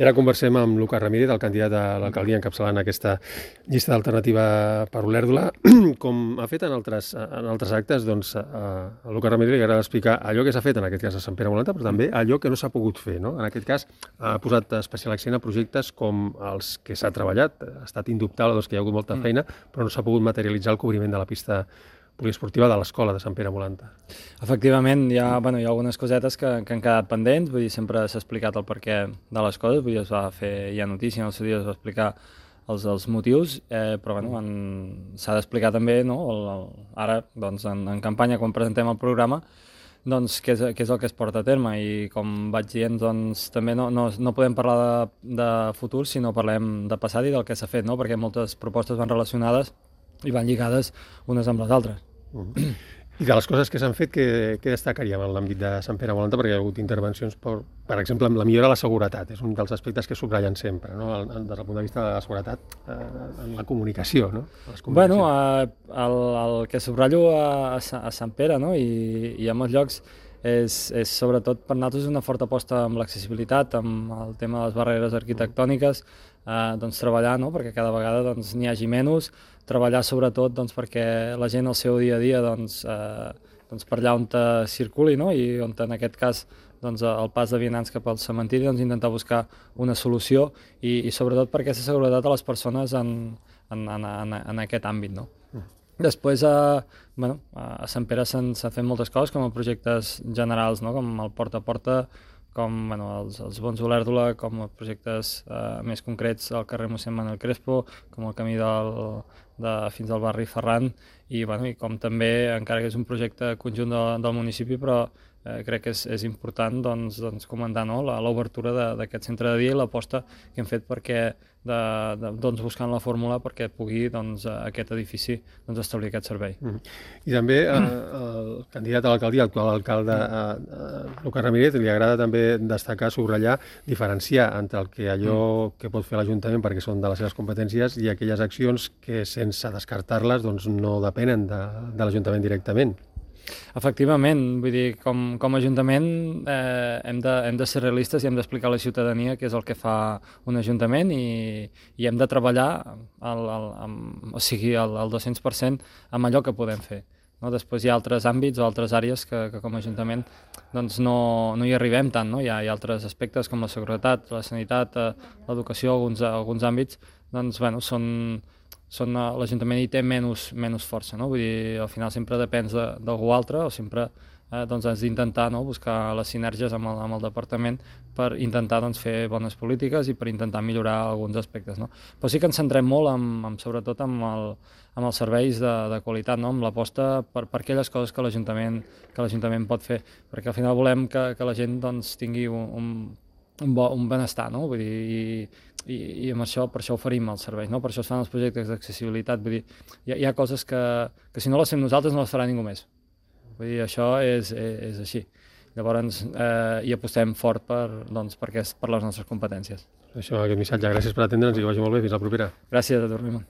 I ara conversem amb Lucas Ramírez, el candidat a l'alcaldia encapçalant aquesta llista d'alternativa per Olèrdola. Com ha fet en altres actes, doncs, a Lucas Ramírez li agrada explicar allò que s'ha fet, en aquest cas a Sant Pere Molanta, però també allò que no s'ha pogut fer, no? En aquest cas ha posat especial accent a projectes com els que s'ha treballat. Ha estat indubtable doncs, que hi ha hagut molta feina, però no s'ha pogut materialitzar el cobriment de la pista poliesportiva de l'escola de Sant Pere Molanta. Efectivament, hi ha algunes cosetes que han quedat pendents, vull dir, sempre s'ha explicat el perquè de les coses, vull dir, es va fer ja notícia, en el seu dia es va explicar els motius, però s'ha d'explicar també, no? Ara, doncs, en campanya, quan presentem el programa, doncs, què és el que es porta a terme, i com vaig dient, doncs, també no podem parlar de futur, sinó parlem de passat i del que s'ha fet, no? Perquè moltes propostes van relacionades i van lligades unes amb les altres. I de les coses que s'han fet, què destacaríem en l'àmbit de Sant Pere Molanta? Perquè hi ha hagut intervencions, per exemple, amb la millora de la seguretat. És un dels aspectes que subratllen sempre, no? Des del punt de vista de la seguretat en la comunicació, no? Bueno, el que subratllo a Sant Pere, no? I a molts llocs és sobretot per nosaltres una forta aposta amb l'accessibilitat, amb el tema de les barreres arquitectòniques, doncs treballar, no? Perquè cada vegada doncs, n'hi hagi menys, treballar sobretot doncs, perquè la gent al seu dia a dia doncs, per allà on circuli, no? I on en aquest cas doncs, el pas de vianants cap al cementiri, doncs, intentar buscar una solució i sobretot per aquesta seguretat a les persones en aquest àmbit, no? Després, a Sant Pere s'han fet moltes coses, com a projectes generals, no? Com el Porta a Porta, com els Bons Olèrdola, com projectes més concrets al carrer Mossèn Manuel Crespo, com el camí fins al barri Ferran, i com també, encara que és un projecte conjunt del municipi, però crec que és important doncs, comentar, no? L'obertura d'aquest centre de dia i l'aposta que hem fet perquè buscant la fórmula perquè pugui aquest edifici establir aquest servei. I també el candidat a l'alcaldia, l'actual alcalde Lucas Ramírez, li agrada també destacar, subratllar, diferenciar entre allò que pot fer l'Ajuntament perquè són de les seves competències i aquelles accions que, sense descartar-les, no depenen de l'Ajuntament directament. Efectivament, vull dir, com a Ajuntament hem de ser realistes i hem d'explicar a la ciutadania què és el que fa un Ajuntament i hem de treballar al 200% amb allò que podem fer. No? Després hi ha altres àmbits o altres àrees que com a Ajuntament doncs, no hi arribem tant. No? Hi ha altres aspectes com la seguretat, la sanitat, l'educació, alguns àmbits, doncs, l'Ajuntament hi té menys força, no? Vull dir, al final sempre depens d'algú altre o sempre has d'intentar buscar les sinergies amb el departament per intentar fer bones polítiques i per intentar millorar alguns aspectes. No? Però sí que ens centrem molt sobretot amb els serveis de qualitat, no? Amb l'aposta per aquelles coses que l'Ajuntament pot fer, perquè al final volem que la gent tingui un benestar, no? Vull dir, i amb això, per això oferim els serveis, no? Per això es fan els projectes d'accessibilitat. Vull dir, hi ha coses que si no les fem nosaltres no les farà ningú més. Vull dir, això és així. Llavors, hi apostem fort per les nostres competències. Això, aquest missatge. Gràcies per atendre'ns i que vagi molt bé. Fins la propera. Gràcies a tu, Raimon.